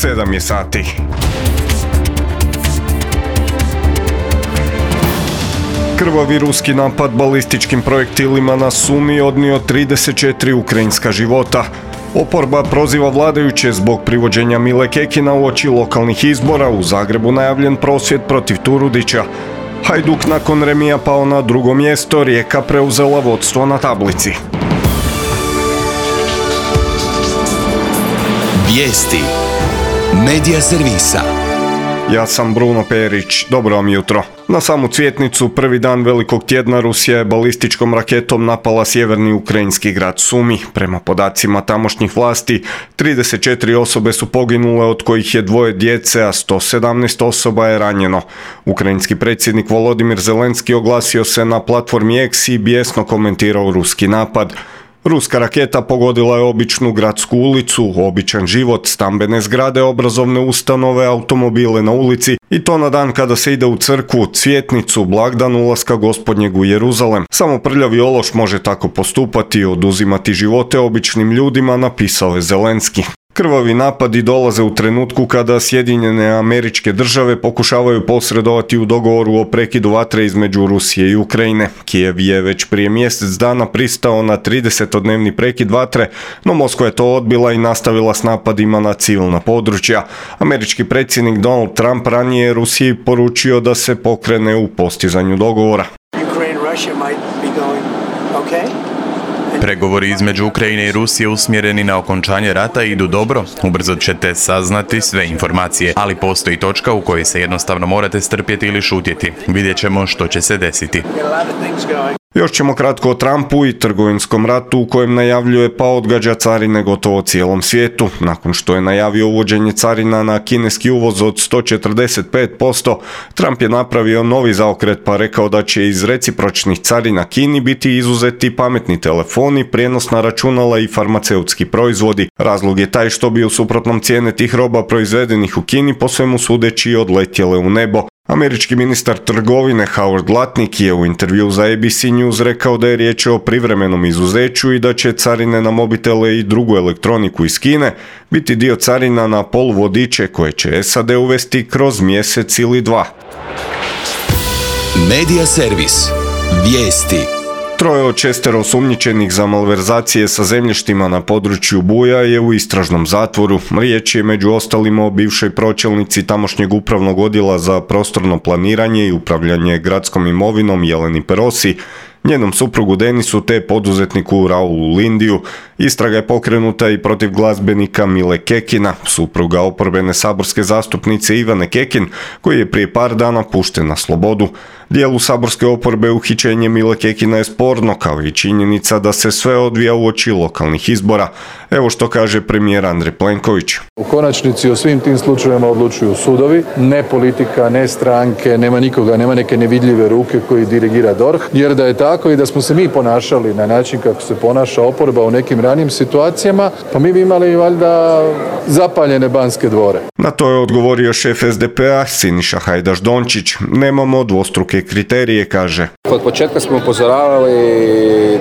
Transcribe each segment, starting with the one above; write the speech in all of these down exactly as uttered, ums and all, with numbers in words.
sedam je sati. Krvavi ruski napad balističkim projektilima na Sumi odnio trideset četiri ukrajinska života. Oporba proziva vladajuće zbog privođenja Mile Kekina uoči lokalnih izbora, u Zagrebu najavljen prosvjed protiv Turudića. Hajduk nakon remija pao na drugo mjesto, Rijeka preuzela vodstvo na tablici. Vijesti Medija servisa. Ja sam Bruno Perić, dobro vam jutro. Na samu Cvjetnicu, prvi dan velikog tjedna, Rusija je balističkom raketom napala sjeverni ukrajinski grad Sumi. Prema podacima tamošnjih vlasti, trideset četiri osobe su poginule, od kojih je dvoje djece, a sto sedamnaest osoba je ranjeno. Ukrajinski predsjednik Volodimir Zelenski oglasio se na platformi X i bijesno komentirao ruski napad. Ruska raketa pogodila je običnu gradsku ulicu, običan život, stambene zgrade, obrazovne ustanove, automobile na ulici, i to na dan kada se ide u crkvu, Cvjetnicu, blagdan ulaska Gospodnjeg u Jeruzalem. Samo prljavi ološ može tako postupati i oduzimati živote običnim ljudima, napisao je Zelenski. Krvavi napadi dolaze u trenutku kada Sjedinjene Američke Države pokušavaju posredovati u dogovoru o prekidu vatre između Rusije i Ukrajine. Kijev je već prije mjesec dana pristao na tridesetodnevni prekid vatre, no Moskva je to odbila i nastavila s napadima na civilna područja. Američki predsjednik Donald Trump ranije je Rusiji poručio da se pokrene u postizanju dogovora. Pregovori između Ukrajine i Rusije usmjereni na okončanje rata idu dobro. Ubrzo ćete saznati sve informacije, ali postoji točka u kojoj se jednostavno morate strpjeti ili šutjeti. Vidjet ćemo što će se desiti. Još ćemo kratko o Trumpu i trgovinskom ratu u kojem najavljuje pa odgađa carine gotovo cijelom svijetu. Nakon što je najavio uvođenje carina na kineski uvoz od sto četrdeset pet posto, Trump je napravio novi zaokret pa rekao da će iz recipročnih carina Kini biti izuzeti pametni telefoni, prijenosna računala i farmaceutski proizvodi. Razlog je taj što bi u suprotnom cijene tih roba proizvedenih u Kini po svemu sudeći odletjele u nebo. Američki ministar trgovine Howard Lutnick je u intervju za A B C News rekao da je riječ o privremenom izuzeću i da će carine na mobitele i drugu elektroniku iz Kine biti dio carina na poluvodiče koje će S A D uvesti kroz mjesec ili dva. Medija servis. Vijesti. Troje od šestero osumnjičenih za malverzacije sa zemljištima na području Buja je u istražnom zatvoru. Riječ je među ostalima o bivšoj pročelnici tamošnjeg upravnog odjela za prostorno planiranje i upravljanje gradskom imovinom Jeleni Perosi, njenom suprugu Denisu te poduzetniku Raulu Lindiju. Istraga je pokrenuta i protiv glazbenika Mile Kekina, supruga oporbene saborske zastupnice Ivane Kekin, koji je prije par dana pušten na slobodu. Dijelu saborske oporbe uhićenje Mile Kekina je sporno, kao i činjenica da se sve odvija uoči lokalnih izbora. Evo što kaže premijer Andrej Plenković. U konačnici o svim tim slučajevima odlučuju sudovi, ne politika, ne stranke, nema nikoga, nema neke nevidljive ruke koji dirigira D O R H, jer da je tako i da smo se mi ponašali na način kako se ponaša oporba u nekim ranijim situacijama, pa mi bi imali valjda zapaljene Banske dvore. Na to je odgovorio šef S D P A Siniša Hajdaš Dončić. Nemamo dvostruke kriterije, kaže. Od početka smo upozoravali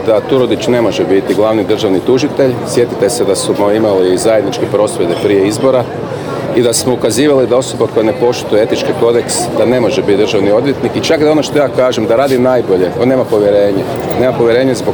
da Turudić ne može biti glavni državni tužitelj. Sjetite se da smo imali zajedničke prosvjede prije izbora i da smo ukazivali da osoba koja ne poštuje etički kodeks da ne može biti državni odvjetnik i čak da ono što ja kažem da radi najbolje, on nema povjerenje. Nema povjerenje zbog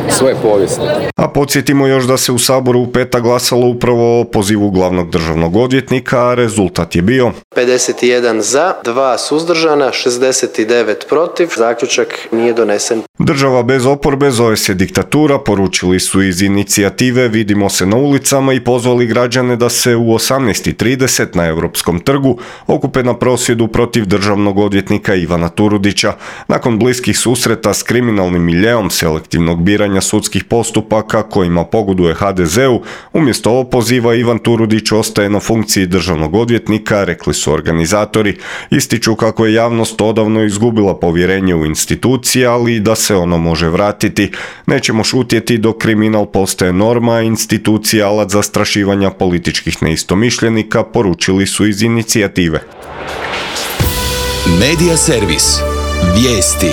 svoje povijesti. A podsjetimo još da se u Saboru u petak glasalo upravo o pozivu glavnog državnog odvjetnika, a rezultat je bio pedeset jedan za, dva suzdržana, šezdeset devet protiv. Zaključak nije donesen. Država bez oporbe zove se diktatura, poručili su iz inicijative Vidimo se na ulicama i pozvali građane da se u osamnaest i trideset na Europskom trgu okupe na prosvjedu protiv državnog odvjetnika Ivana Turudića. Nakon bliskih susreta s kriminalnim miljeom selektivnog biranja sudskih postupaka kojima pogoduje H D Z-u, umjesto opoziva Ivan Turudić ostaje na funkciji državnog odvjetnika, rekli su organizatori. Ističu kako je javnost odavno izgubila povjerenje u institucije, ali i da se ono može vratiti. Nećemo šutjeti dok kriminal postaje norma, a institucija alat zastrašivanja političkih neistomišljenika, poručili su iz inicijative. Medija servis. Vijesti.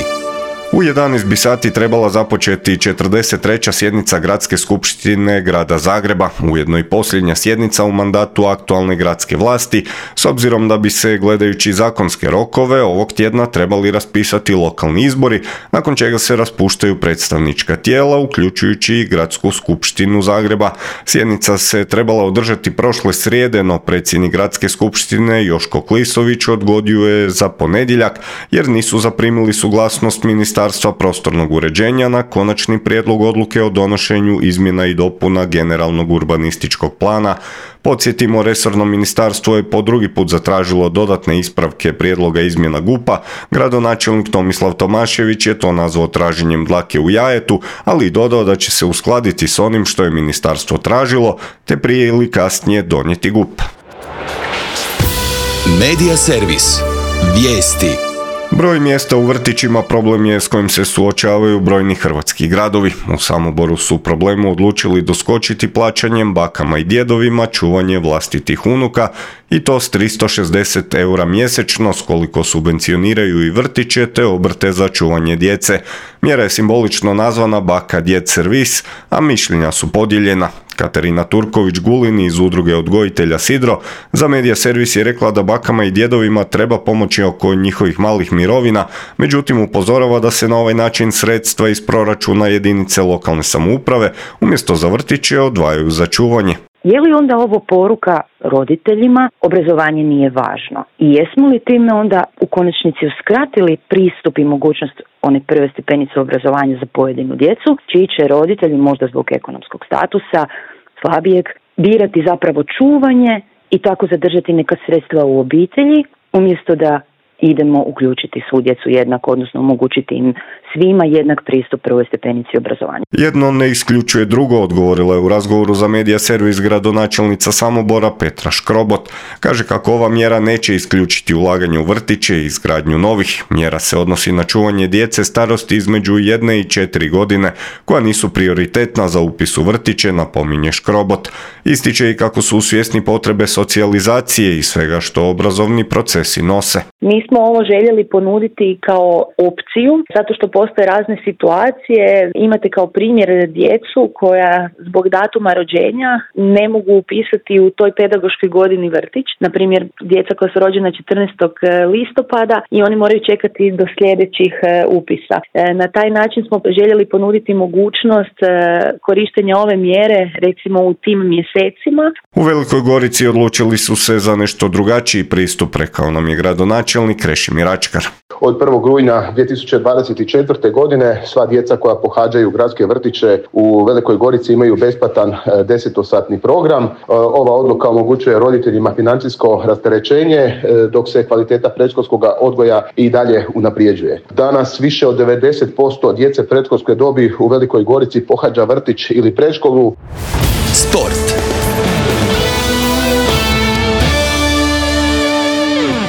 U jedanaest bi sati trebala započeti četrdeset treća sjednica Gradske skupštine Grada Zagreba, ujedno i posljednja sjednica u mandatu aktualne gradske vlasti, s obzirom da bi se, gledajući zakonske rokove, ovog tjedna trebali raspisati lokalni izbori, nakon čega se raspuštaju predstavnička tijela, uključujući i Gradsku skupštinu Zagreba. Sjednica se trebala održati prošle srijede, no predsjednik Gradske skupštine Joško Klisović odgodio je za ponedjeljak, jer nisu zaprimili suglasnost ministarstva Ministarstva prostornog uređenja na konačni prijedlog odluke o donošenju izmjena i dopuna generalnog urbanističkog plana. Podsjetimo, resorno ministarstvo je po drugi put zatražilo dodatne ispravke prijedloga izmjena G U P-a. Gradonačelnik Tomislav Tomašević je to nazvao traženjem dlake u jajetu, ali i dodao da će se uskladiti s onim što je ministarstvo tražilo, te prije ili kasnije donijeti G U P. Medija servis. Vijesti. Broj mjesta u vrtićima problem je s kojim se suočavaju brojni hrvatski gradovi. U Samoboru su problemu odlučili doskočiti plaćanjem bakama i djedovima čuvanje vlastitih unuka, i to s tristo šezdeset eura mjesečno, s koliko subvencioniraju i vrtiće te obrte za čuvanje djece. Mjera je simbolično nazvana Baka djed servis, a mišljenja su podijeljena. Katarina Turković-Gulin iz udruge odgojitelja Sidro za Medija servis je rekla da bakama i djedovima treba pomoći oko njihovih malih mirovina, međutim upozorava da se na ovaj način sredstva iz proračuna jedinice lokalne samouprave umjesto za vrtiće odvajaju za čuvanje. Je li onda ovo poruka roditeljima, obrazovanje nije važno? I jesmo li time onda u konačnici uskratili pristup i mogućnost one prve stepenice obrazovanja za pojedinu djecu, čiji će roditelji možda zbog ekonomskog statusa slabijeg birati zapravo čuvanje i tako zadržati neka sredstva u obitelji, umjesto da idemo uključiti svu djecu jednako, odnosno omogućiti im svima jednak pristup prvoj stepenici obrazovanja. Jedno ne isključuje drugo, odgovorila je u razgovoru za Medija servis gradonačelnica Samobora Petra Škrobot. Kaže kako ova mjera neće isključiti ulaganje u vrtiće i izgradnju novih. Mjera se odnosi na čuvanje djece starosti između jedne i četiri godine, koja nisu prioritetna za upis u vrtiće, napominje Škrobot. Ističe i kako su svjesni potrebe socijalizacije i svega što obrazovni procesi nose. Mi smo ovo željeli ponuditi kao opciju, zato što postoje razne situacije. Imate kao primjer djecu koja zbog datuma rođenja ne mogu upisati u toj pedagoškoj godini vrtić. Na primjer, djeca koja su rođena četrnaestog listopada i oni moraju čekati do sljedećih upisa. Na taj način smo željeli ponuditi mogućnost korištenja ove mjere recimo u tim mjesecima. U Velikoj Gorici odlučili su se za nešto drugačiji pristup, rekao nam je gradonačelnik Krešimir Ačkar. Od prvog rujna dvije tisuće dvadeset četvrte. godine sva djeca koja pohađaju gradske vrtiće u Velikoj Gorici imaju besplatan desetosatni program. Ova odluka omogućuje roditeljima financijsko rasterećenje, dok se kvaliteta predškolskog odgoja i dalje unaprijeđuje. Danas više od devedeset posto djece predškolske dobi u Velikoj Gorici pohađa vrtić ili predškolu. Sport.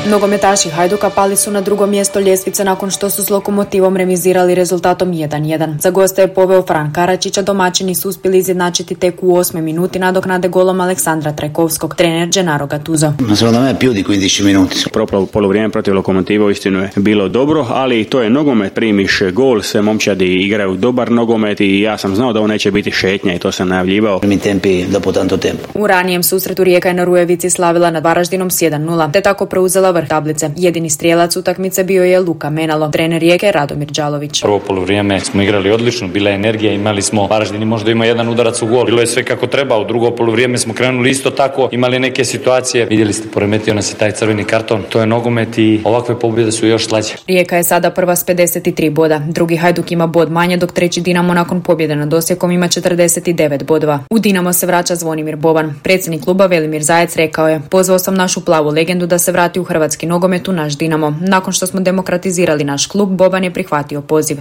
Nogometaši Hajduka pali su na drugo mjesto ljestvice nakon što su s Lokomotivom remizirali rezultatom jedan jedan. Za goste je poveo Fran Karačića, domaćini su uspjeli izjednačiti tek u osmoj minuti nadoknade golom Aleksandra Trajkovskog. Trener Gennaro Gattuso. Secondo me più di quindici minuti. Proprio polovrijeme protiv Lokomotiva uistinu je bilo dobro, ali to je nogomet, primiš gol, sve momčadi igraju dobar nogomet i ja sam znao da ovo neće biti šetnja i to sam najavljivao. Mi tempi dopo tanto tempo. U ranijem susretu Rijeka je na Rujevici slavila nad Varaždinom s jedan nula, te tako preuzela vrh tablice. Jedini strijelac utakmice bio je Luka Menalo. Trener Rijeke Radomir Đalović. Prvo polovrijeme smo igrali odlično, bila je energija, imali smo, Varaždin možda ima jedan udarac u gol. Bilo je sve kako treba, u drugo polovrijeme smo krenuli isto tako, imali neke situacije. Vidjeli ste, poremetio nas je taj crveni karton. To je nogomet i ovakve pobjede su još slađe. Rijeka je sada prva s pedeset tri boda. Drugi Hajduk ima bod manje, dok treći Dinamo nakon pobjede nad Osijekom ima četrdeset devet bodova. U Dinamo se vraća Zvonimir Boban. Predsjednik kluba Velimir Zajec rekao je: "Pozvao sam našu plavu legendu da se vrati u hrvatski nogomet u naš Dinamo. Nakon što smo demokratizirali naš klub, Boban je prihvatio poziv."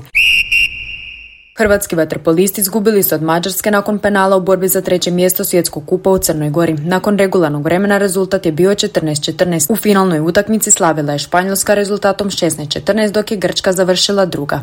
Hrvatski vaterpolisti izgubili su od Mađarske nakon penala u borbi za treće mjesto svjetskog kupa u Crnoj Gori. Nakon regularnog vremena rezultat je bio četrnaest četrnaest. U finalnoj utakmici slavila je Španjolska rezultatom šesnaest četrnaest, dok je Grčka završila druga.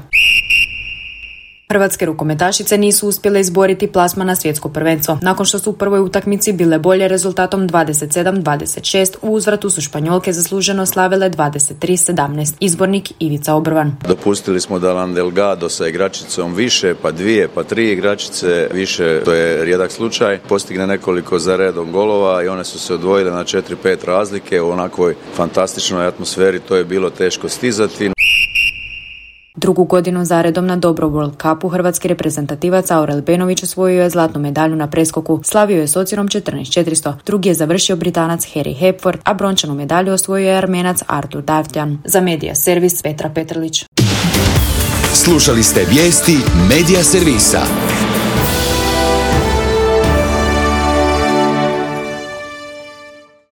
Hrvatske rukometašice nisu uspjele izboriti plasman na svjetsko prvenstvo. Nakon što su u prvoj utakmici bile bolje rezultatom dvadeset sedam dvadeset šest, u uzvratu su Španjolke zasluženo slavile dvadeset tri sedamnaest. Izbornik Ivica Obrvan. Dopustili smo da nam Delgado sa igračicom više, pa dvije, pa tri igračice više, to je rijedak slučaj, postigne nekoliko za redom golova i one su se odvojile na četiri pet razlike u onakvoj fantastičnoj atmosferi, to je bilo teško stizati. Drugu godinu zaredom na Dobro World Cupu hrvatski reprezentativac Aurel Benović osvojio je zlatnu medalju na preskoku. Slavio je s ocjenom četrnaest četiristo. Drugi je završio Britanac Harry Hepford, a brončanu medalju osvojio je Armenac Artur Davtjan. Za Medija Servis Petra Petrlić. Slušali ste vijesti Medija Servisa.